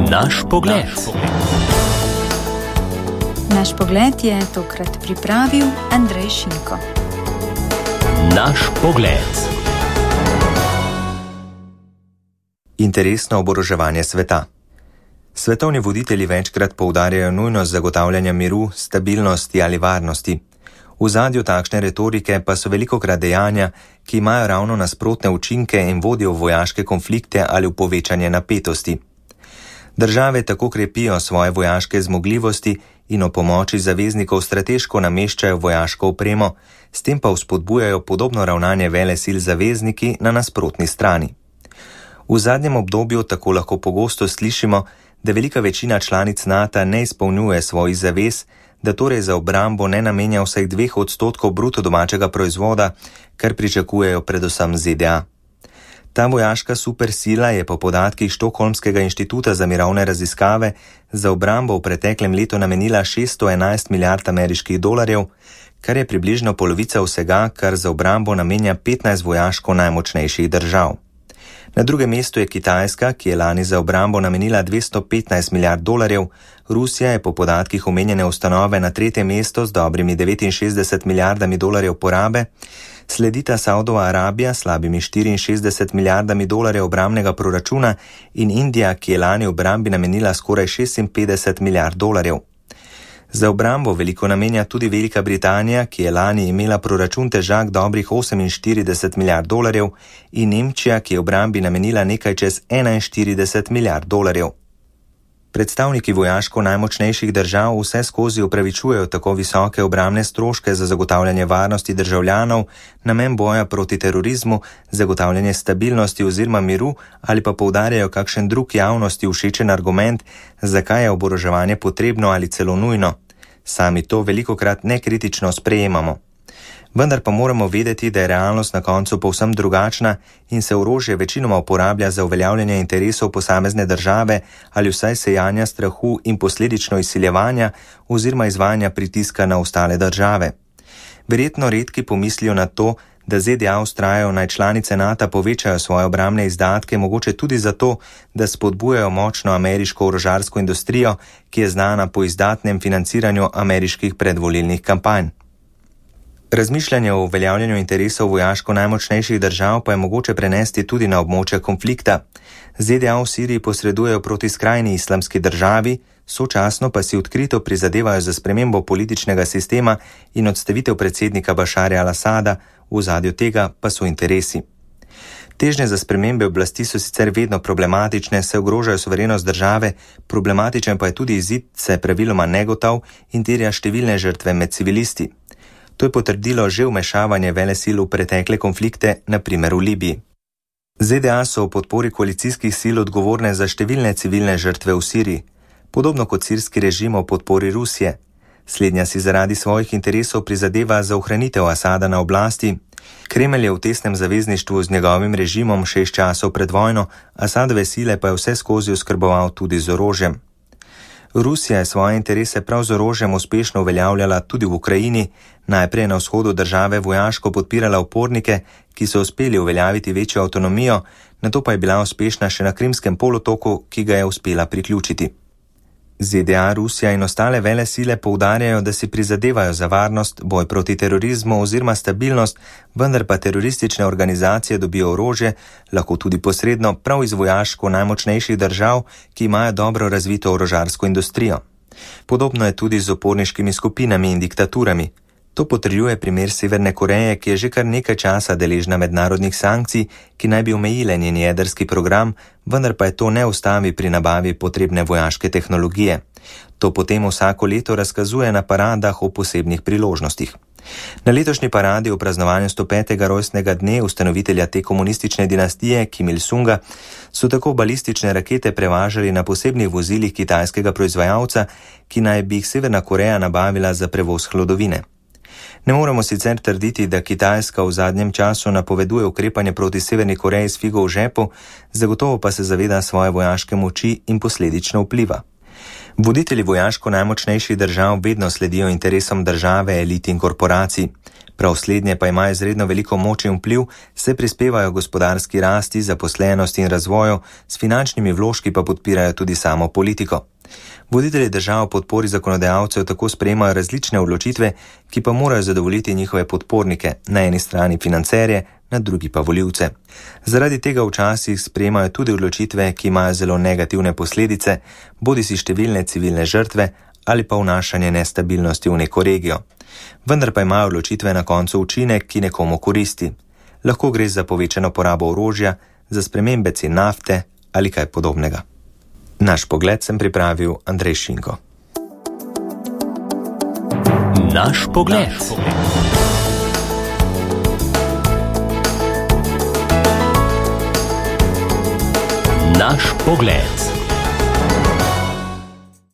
Naš pogled. Naš pogled je tokrat pripravil Andrej Šinko. Naš pogled. Interesno oboroževanje sveta. Svetovni voditelji večkrat poudarjajo nujnost zagotavljanja miru, stabilnosti ali varnosti. V zadju takšne retorike pa so velikokrat dejanja, ki imajo ravno nasprotne učinke in vodijo v vojaške konflikte ali v povečanje napetosti. Države tako krepijo svoje vojaške zmogljivosti in o pomoči zaveznikov strateško nameščajo vojaško opremo, s tem pa vzpodbujajo podobno ravnanje velesil zavezniki na nasprotni strani. V zadnjem obdobju tako lahko pogosto slišimo, da velika večina članic NATO ne izpolnjuje svojih zavez, da torej za obrambo ne namenja vsaj 2% bruto domačega proizvoda, kar pričakujejo predvsem ZDA. Ta vojaška supersila je po podatkih Štokholmskega inštituta za mirovne raziskave za obrambo v preteklem letu namenila 611 milijard ameriških dolarjev, kar je približno polovica vsega, kar za obrambo namenja 15 vojaško najmočnejših držav. Na drugem mestu je Kitajska, ki je lani za obrambo namenila 215 milijard dolarjev, Rusija je po podatkih omenjene ustanove na tretje mesto z dobrimi 69 milijardami dolarjev porabe, sledita Saudova Arabija s slabimi 64 milijardami dolarjev obrambnega proračuna in Indija, ki je lani obrambi namenila skoraj 56 milijard dolarjev. Za obrambo veliko namenja tudi Velika Britanija, ki je lani imela proračun težak dobrih 48 milijard dolarjev, in Nemčija, ki je obrambi namenila nekaj čez 41 milijard dolarjev. Predstavniki vojaško najmočnejših držav vse skozi upravičujejo tako visoke obrambne stroške za zagotavljanje varnosti državljanov, namen boja proti terorizmu, zagotavljanje stabilnosti oziroma miru ali pa poudarjajo kakšen drug javnosti všečen argument, zakaj je oboroževanje potrebno ali celo nujno. Sami to velikokrat nekritično sprejemamo. Vendar pa moramo vedeti, da je realnost na koncu povsem drugačna in se orožje večinoma uporablja za uveljavljanje interesov posamezne države ali vsaj sejanja strahu in posledično izsiljevanja oziroma izvajanja pritiska na ostale države. Verjetno redki pomislijo na to, da ZDA vztrajajo naj članice NATO povečajo svoje obrambne izdatke, mogoče tudi zato, da spodbujajo močno ameriško orožarsko industrijo, ki je znana po izdatnem financiranju ameriških predvolilnih kampanj. Razmišljanje o uveljavljanju interesov vojaško najmočnejših držav pa je mogoče prenesti tudi na območje konflikta. ZDA v Siriji posredujejo proti skrajni islamski državi, sočasno pa si odkrito prizadevajo za spremembo političnega sistema in odstavitev predsednika Bašarja al-Asada, v ozadju tega pa so interesi. Težnje za spremembe oblasti so sicer vedno problematične, se ogrožajo suverenost države, problematičen pa je tudi izid, se praviloma negotov in terja številne žrtve med civilisti. To je potrdilo že vmešavanje velesil v pretekle konflikte, na primer v Libiji. ZDA so v podpori koalicijskih sil odgovorne za številne civilne žrtve v Siriji, podobno kot sirski režim v podpori Rusije. Slednja si zaradi svojih interesov prizadeva za ohranitev Asada na oblasti. Kremelj je v tesnem zavezništvu z njegovim režimom 6 časov pred vojno, Asadove sile pa je vse skozi oskrboval tudi z orožjem. Rusija je svoje interese prav z orožjem uspešno uveljavljala tudi v Ukrajini, najprej na vzhodu države vojaško podpirala upornike, ki so uspeli uveljaviti večjo avtonomijo, nato pa je bila uspešna še na Krimskem polotoku, ki ga je uspela priključiti. ZDA, Rusija in ostale velesile poudarjajo, da si prizadevajo za varnost, boj proti terorizmu oziroma stabilnost, vendar pa teroristične organizacije dobijo orožje, lahko tudi posredno, prav iz vojaško najmočnejših držav, ki imajo dobro razvito orožarsko industrijo. Podobno je tudi z uporniškimi skupinami in diktaturami. To potrjuje primer Severne Koreje, ki je že kar nekaj časa deležna mednarodnih sankcij, ki naj bi omejile njen jedrski program, vendar pa je to ne ustavi pri nabavi potrebne vojaške tehnologije. To potem vsako leto razkazuje na paradah o posebnih priložnostih. Na letošnji paradi v praznovanju 105. rojstnega dne ustanovitelja te komunistične dinastije Kim Il-sunga so tako balistične rakete prevažali na posebnih vozilih kitajskega proizvajalca, ki naj bi jih Severna Koreja nabavila za prevoz hlodovine. Ne moremo sicer trditi, da Kitajska v zadnjem času napoveduje ukrepanje proti Severni Koreji s figo v žepu, zagotovo pa se zaveda svoje vojaške moči in posledično vpliva. Voditelji vojaško najmočnejših držav vedno sledijo interesom države, elit in korporacij. Prav slednje pa imajo izredno veliko moč in vpliv, se prispevajo gospodarski rasti, zaposlenosti in razvoju, s finančnimi vložki pa podpirajo tudi samo politiko. Voditelji držav v podpori zakonodajalcev tako sprejemajo različne odločitve, ki pa morajo zadovoljiti njihove podpornike, na eni strani financerje, na drugi pa volivce. Zaradi tega včasih sprejemajo tudi odločitve, ki imajo zelo negativne posledice, bodisi številne civilne žrtve ali pa vnašanje nestabilnosti v neko regijo. Vendar pa imajo odločitve na koncu učinek, ki nekomu koristi. Lahko gre za povečano porabo orožja, za spremembe cen nafte ali kaj podobnega. Naš pogled sem pripravil Andrej Šinko. Naš pogled. Naš pogled.